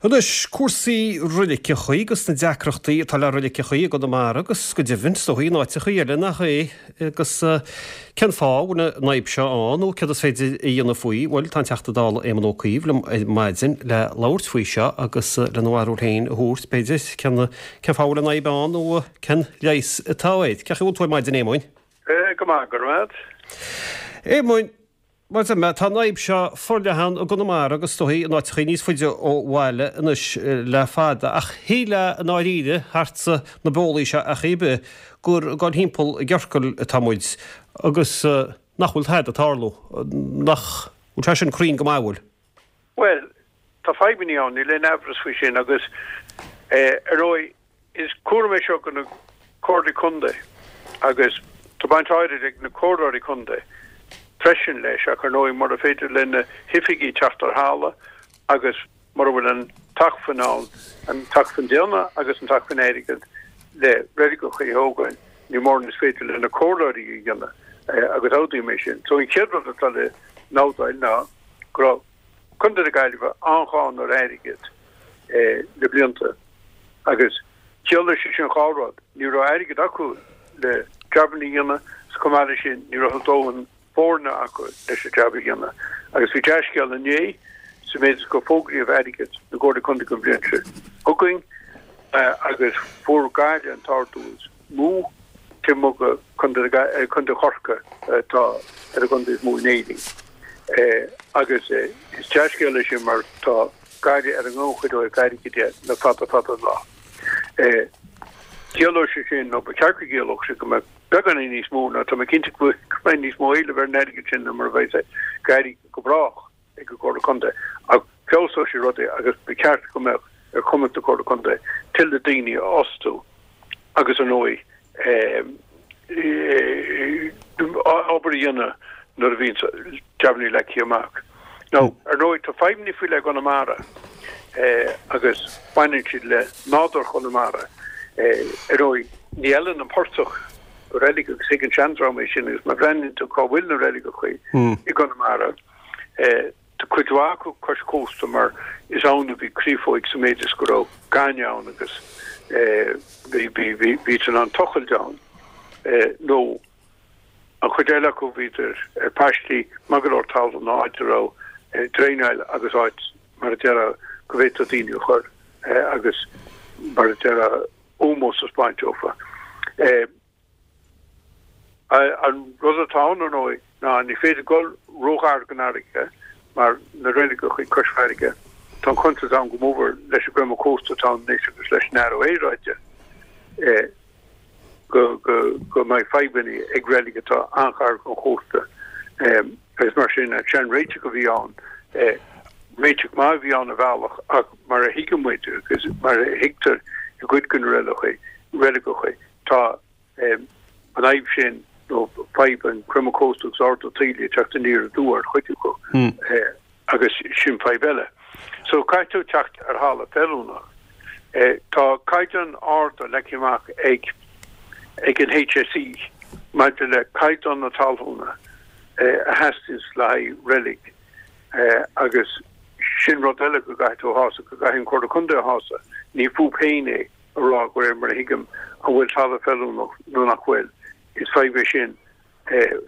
Anois, cúrsaí roiliceachaí agus na deacrachtaí atá le roiliceachaí i gConamara agus go deimhin, is dóigh, in áiteachaí eile nach é. Agus cén fáth a bhfuil an fhadhb seo ann nó céard is féidir a dhéanamh faoi? Bhuel, tá an Teachta Dála Éamon Ó Cuív liom ar maidin le labhairt faoi seo agus lena bharúil féin a thabhairt, b'fhéidir, cén cén fáth a bhfuil an fhadhb ann nó cén leigheas atá air. Cén chaoi a bhfuil tú ar maidin, Éamoin? Go maith, go raibh maith agat. Éamoin, Mar a deir mé, tá an fhadhb seo forleathan i gConamara agus is dóigh in áiteachaí níos faide ó bhaile anois le fada. Ach shílfeá i ndáiríre, thart sna bólaí seo ar chaoi ar bith, gur ag dul thimpeall i gciorcal atá muid agus nach bhfuil tada ag tarlú. Nach bhfuil sé sin cruinn go maith, an bhfuil? Bhuel, tá fadhbanna ann, níl aon amhras faoi sin agus, ar ndóigh, Is cúram é seo do na Comhairlí Contae agus tá baint áirid ag na Comhairleoirí Contae freisin leis ach ar ndóigh mura féidir le na hoifigigh teacht ar thalamh agus mura bhfuil an t-acmhainn ann, an t-acmhainn daonna agus an t-acmhainn airgid le reiligeacha a thógáil, ní mórán is féidir le na Comhairleoirí a dhéanamh agus admhaím é sin. So an chéad rud atá le nótáil ná go raibh Contae na Gaillimhe an-ghann ar airgead le blianta agus chiallaigh sé sin dhá rud, ní raibh airgead acu le jabanna a dhéanamh is chomh maith leis sin ní raibh a ndóthain foirne acu leis an jab a dhéanamh. Agus bhí dea-scéal inné sa méid is gur fógraíodh airgead na gComhairlí Contae don bhliain seo chugainn agus fuair Gaillimh an t-ardú is mó taobh amuigh de Contae Chorcaí atá ar an gcontae is mó in Éirinn. Agus is dea-scéal é sin mar tá Gaillimh ar an ngannchuid ó thaobh airgid de le fada fada an lá. Ciallóidh sé sin, nó ba cheart go gciallódh sé, go mbeadh beagáinín níos mó, nó tá mé cinnte go mbeidh níos mó éilimh ar an airgead sin ná mar a bheidh ag éirí go brách ag an gComhairle Contae. Ach feabhsóidh sé rudaí agus ba cheart go mbeadh ar chumas na Comhairle Contae tuilleadh daoine a fhostú agus ar ndóigh obair a dhéanamh nuair a bhíonn jabannaí leagtha amach. Now, ar ndóigh tá fadhbannaí faoi leith i gConamara agus baineann siad le nádúr Chonamara. Ar ndóigh ní fheileann an portach do reilig agus thuig an seandream é sin agus má bhreathnaíonn tú cá bhfuil na reiligeachaí i gConamara, Tá cuid mhaith acu cois cósta mar is ann a bhí créafóig sa méid is go raibh gaineamh ann agus bhí in ann tochailt ann nó an chuid eile acu bhíodar ar paistí maith go leor talún áit a raibh draenáil agus áit mar a déarfá go bhféadfadh daoine a chur agus mar a déarfá ómós a 'speáint dófa. An rud atá ann, ar ndóigh, ná ní féidir dul róghar don fharraige mar na reiligeachaí cois farraige, tá an chontúirt ann go mór leis an gcreimeadh cósta atá ann anois agus leis an athrú aeráide go mbeidh fadhbanna ag reilig atá an-ghar don chósta agus mar sin an sean-réiteach a bhí ann, réiteach maith a bhí ann ar bhealach ach mar a thuigeann muid agus mar a thuigtear i gcuid de na reiligeachaí, tá an fhadhb sin, nó fadhb an creimeadh cósta agus ardú taoille ag teacht aniar aduaidh ar chuid acu agus sin fadhb eile. So caithfidh tú teacht ar thalamh feiliúnach. Tá caighdeáin arda leagtha amach ag ag an HSE maidir le caighdeán na talúna a theastaíonns le haghaidh reilig agus sin rud eile go gcaithfidh tú a shásamh, go gcaithfidh an Comhairle Contae a shásamh. Ní fúthu féin é. a rá, de réir mar a thuigim, an bhfuil talamh feiliúnach nó nach bhfuil. Is fadhb é sin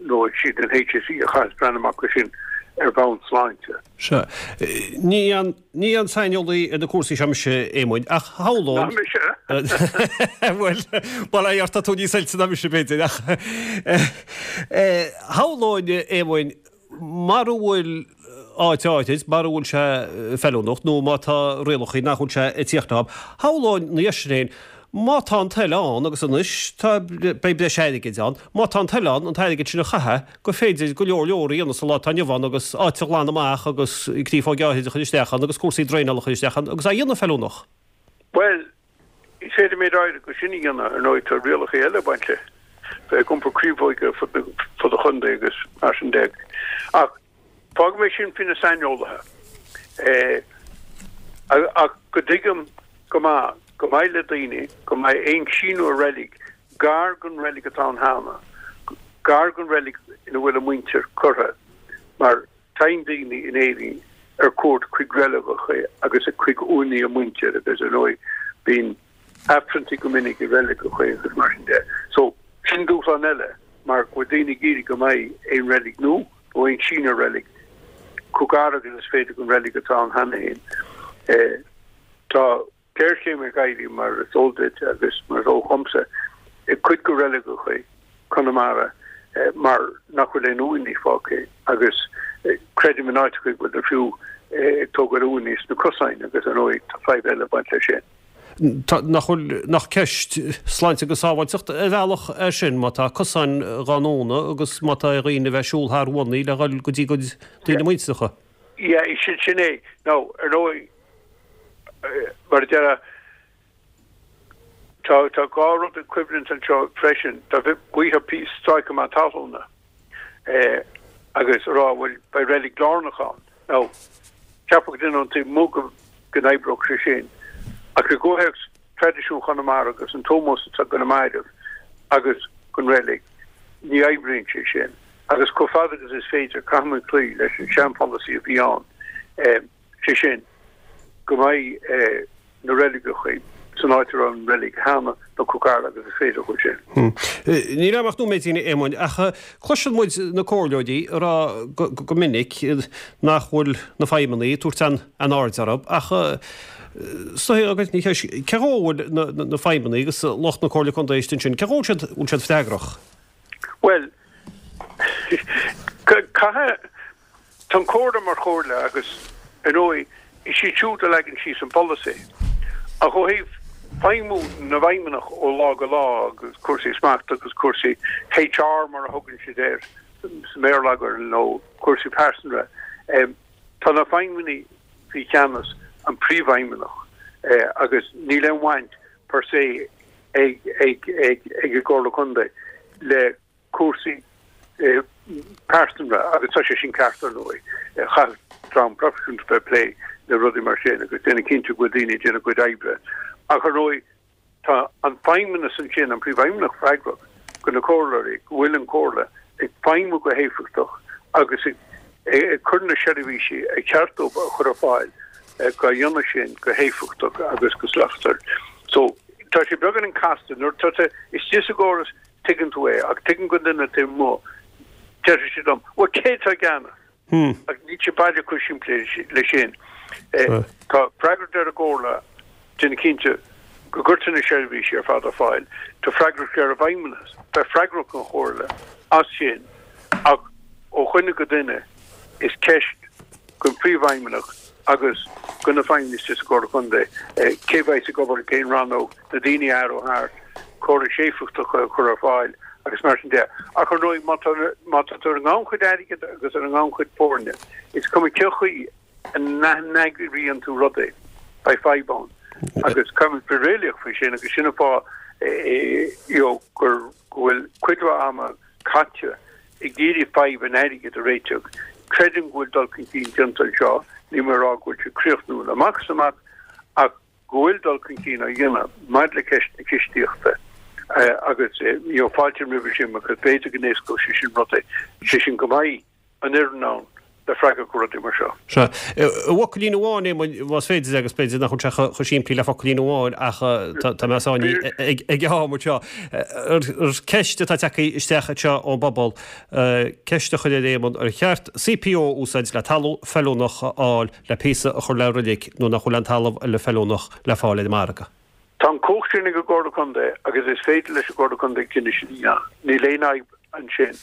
nó is iad an HSE a chaithfeas breathnú amach air sin ar bhonn sláinte. Sea. Ní aon, ní aon saineolaí ar na cúrsaí seo mise, a Éamoinn, ach shamhlóinn. Ná mise! Bhuel, bail ó Dhia ort, tá tú níos oilte ná mise, b'fhéidir, ach shamhlóinn, a Éamoinn, Mara bhfuil áit áirid, mara bhfuil sé feiliúnach nó má tá rialacha nach bhfuil sé ag tíocht leo, shamhlóinn ina dhiaidh sin féin, má tá an toil ann, agus anois tá, beidh breis airgid ann, má tá an toil ann an t-airgead sin a chaitheamh, gur féidir go leor leor a dhéanamh sa lá atá inniu ann agus áit a ghlanadh amach agus créafóig áithrid a chur isteach ann agus cúrsaí draenála a chur isteach ann agus á dhéanamh feiliúnach. Bhuel, Is féidir méid áirid de sin a dhéanamh, ar ndóigh tá rialacha eile ag baint le bheith ag iompar créafóige ar fud an chontae agus mar sin de. Ach fágfaidh mé sin faoi na saineolaithe. Ach go dtuigim go maith go maith le daoine go mbeidh aon síniú ar reilig gar don reilig atá ann cheana, gar don reilig ina bhfuil a muintir curtha, mar Téann daoine in Éirinn. ar cuairt chuig reiligeacha agus chuig uaigheanna a muintir agus ar ndóigh bíonn aifreanntaí go minic i reiligeacha agus mar sin de. So, sin dúshlán eile mar go bhfuil daoine ag iarraidh go mbeidh aon reilig nua nó aon síneadh reilig chomh gar agus is féidir don reilig atá ann cheana féin. Tá géarchéim ag éirí, mar is eol duit agus mar is eol dhomsa, i gcuid de reiligeacha Chonamara mar nach bhfuil aon uaigheanna fágtha agus creidim in áiteacha go bhfuil fiú ag tógáil uaigheanna sna cosáin agus ar ndóigh tá fadhb eile ag baint leis sin. Tá, nach bhfuil, nach ceist sláinte agus sábháilteacht ar bhealach é sin má tá cosáin dhá ndúnadh agus má tá ar dhaoine a bheith ag siúl thar uaigheanna le dhul go dtí a gcuid daoine muinteartha. Yeah, sin é. Now, ar ndóigh, mar a déarfá, tá tá dhá rud ag coimhlint anseo freisin. Tá gaoithe stráice maith talún agus a rá bhuel beidh reilig lárnach ann. Now, cheapfadh duine ón taobh amuigh go go n-oibreodh sé sin. Ach i gcomhthéacs traidisiún Chonamara agus an t-ómós atá do na mairbh agus don reilig, ní oibríonn sé sin. Agus chomh fada agus is féidir, caithfimid cloí leis an seanpholasaí a bhí ann. sé sin, go mbeidh na reiligeacha san áit a raibh an reilig cheana nó chomh gar agus is féidir chuige sin. Níl agam ach nóiméidín, a Éamoinn, ach cloiseann muid na comhairleoirí ag rá go minic nach bhfuil na feidhmeannaigh ag tabhairt aon aird orthu, ach is dóigh ní cheist, cé dhó a bhfuil na feidhmeannaigh agus lucht na Comhairle Contae istigh ansin, cé dhó a bhfuil siad freagrach? Bhuel, caithfidh. Tá an Chomhairle mar chomhairle agus, ar ndóigh, is iad siúd a leagann síos an polasaí. Ach ó thaobh feidhmiú na bhfeidhmeannach ó lá go lá agus cúrsaí smachta agus cúrsaí HR mar a thugann siad air sa mbéarlagair nó cúrsaí pearsanra, tá na feidhmeannaigh faoi cheannas an phríomhfheidhmeannach agus níl aon bhaint per se ag an gComhairle Contae le cúrsaí pearsanra agus tá sé sin ceart ar ndóigh. Chaithfeadh dream proifisiúnta bheith ag plé le rudaí mar sin agus déanamh cinnte go bhfuil daoine ag déanamh a gcuid oibre. Ach ar ndóigh tá an feidhmeannas ansin, an príomhfheidhmeannach freagrach do na comhairleoirí, go bhfuil an chomhairle ag feidhmiú go héifeachtach agus ag cur na seirbhísí ar cheart dóibh a chur ar fáil dhá dhéanamh sin go héifeachtach agus go slachtmhar. So tá sé beagáinín casta nuair atá tú istigh sa gcóras Tuigeann tú é, ach tuigim don duine taobh amuigh, déarfaidh siad liom, bhuel, cé atá i gceannas? Ach níl sé baileach chomh simplí leis sin. Tá freagracht ar an gComhairle déanamh cinnte go gcuirtear na seirbhísí ar fad ar fáil. Tá freagracht ar an bhFeidhmeannas bheith freagrach don Chomhairle as sin ach ó dhuine go duine is ceist don Phríomhfheidhmeannach agus do na feidhmeannaigh sa Chomhairle Contae cé bheas ag obair i gcén rannóg, na daoine a athrú thart, córais éifeachtacha a chur ar fáil agus mar sin de. Ach ar ndóigh, má tá má tá tú ar an ngannchuid airgid agus ar an ngannchuid foirne, is cuma cén chaoi a n-eagraíonn tú rudaí, beidh fadhb ann. Agus caithfimid bheith réalaíoch faoi sin agus sin an fáth you know gur go bhfuil cuid mhaith ama caite ag iarraidh fadhb an airgid a réiteach. Creidim go bhfuil dul chun cinn déanta anseo, níl mé ag rá go bhfuil sé críochnúil amach is amach ach go bhfuil dul chun cinn á dhéanamh maidir le ceist na cistíochta agus you know fáiltím roimhe sin because b'fhéidir go n-éascódh sé sin rudaí, sé sin go mbeidh an fhoireann ann le freagairt do rudaí mar seo. Sea. I bhfocailín amháin, Éamoinn, más féidir, agus b'fhéidir nach bhfuil sé chomh simplí le focailín amháin ach tá mé sáinnithe ag am anseo. Ar ceist atá tagtha isteach anseo ón bpobal, ceist a chur ar Éamonn, ar cheart CPO a úsáid le talamh feiliúnach a fháil le píosa a chur le roilig nuair nach bhfuil aon talamh eile feiliúnach le fáil ar an margadh? Tá an chumhacht sin ag an gComhairle Contae agus is féidir leis an gComhairle Contae cinneadh sin a dhéanamh. Níl aon fhadhb ansin.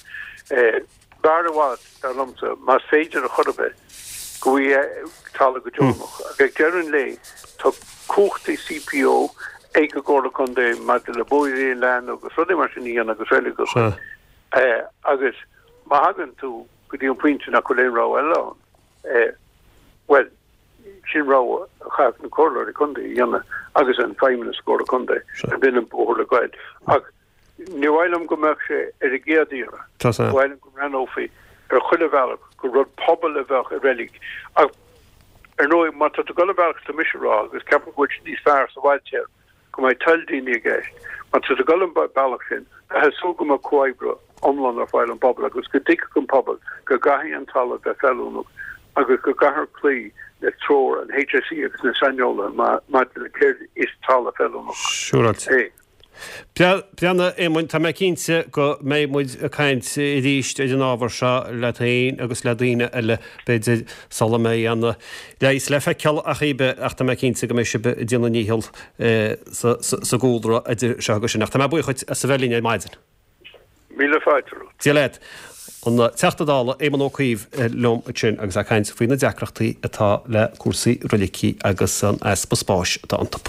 B'fhearr i bhfad, dar liomsa, más féidir ar chor ar bith, go bhfaighfí talamh go deonach. Ach ag deireadh an lae, tá cumhachtaí CPO ag an gComhairle Contae maidir le bóithre a leathnú agus rudaí mar sin a dhéanamh agus reiligeacha. Agus má thagann tú go dtí an pointe nach bhfuil aon rogha eile ann, bhuel, Sin rogha a chaithfeadh na comhairleoirí contae a dhéanamh agus an feidhmeannas sa gComhairle Contae a b'in an bóthar le goil. Ach ní mhaith liom go mbeadh sé ar an gcéad iarraidh. Ba mhaith liom go mbreathnófaí ar chuile bhealach gur rud pobail a bheadh i reilig. Ach ar ndóigh má tá tú ag dul an bealach atá mise a rá agus ceapaim go bhfuil sé níos fearr sa bhfadtéarma go mbeidh toil daoine i gceist, má tá tú ag dul an bealach sin, bheifeá ag súil go mbeadh comhoibriú iomlán ar fáil ón bpobal agus go dtuigfeadh an pobal go gcaithfidh an talamh bheith feiliúnach. Agus go gcaithfear cloí le treoir an HSE agus na saineolaithe maidir le céard is talamh feiliúnach é. Breathnaigh, a Éamoinn, tá mé cinnte go mbeidh muid ag caint arís ar an ábhar seo leat féin agus le daoine eile, b'fhéidir, sula mbeidh aon leigheas le feiceáil ach ar bith, ach tá mé cinnte go mbeidh sibh ag déanamh a ndícheall sa gcúlra idir seo agus sin. Ach tá mé buíoch dhuit as a bheith linn ar maidin. Míle fáilte romhat. Dia leat. An Teachta Dála Éamon Ó Cuív liom ansin agus é ag caint faoi na deacrachtaí atá le cúrsaí roilicí agus an easpa spáis atá iontu.